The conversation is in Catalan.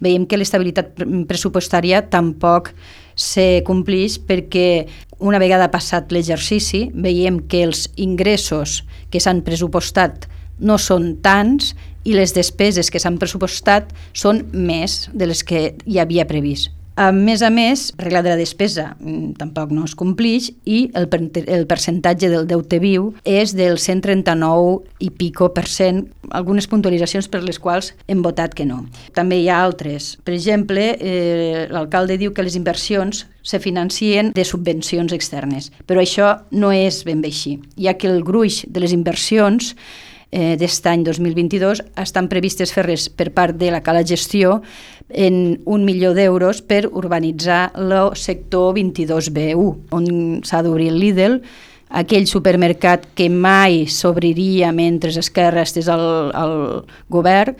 veiem que l'estabilitat pressupostària tampoc se compleix perquè una vegada passat l'exercici veiem que els ingressos que s'han pressupostat no són tants i les despeses que s'han pressupostat són més de les que hi havia previst. A més, regla de la despesa tampoc no es compleix i el percentatge del deute viu és del 139 i pico %, algunes puntualitzacions per les quals hem votat que no. També hi ha altres. Per exemple, l'alcalde diu que les inversions se financien de subvencions externes, però això no és ben bé així, ja que el gruix de les inversions d'aquest any 2022 estan previstes fer-les per part de la Cala Gestió en 1 milió d'euros per urbanitzar el sector 22B1, on s'ha d'obrir el Lidl, aquell supermercat que mai s'obriria mentre Esquerra estés al govern,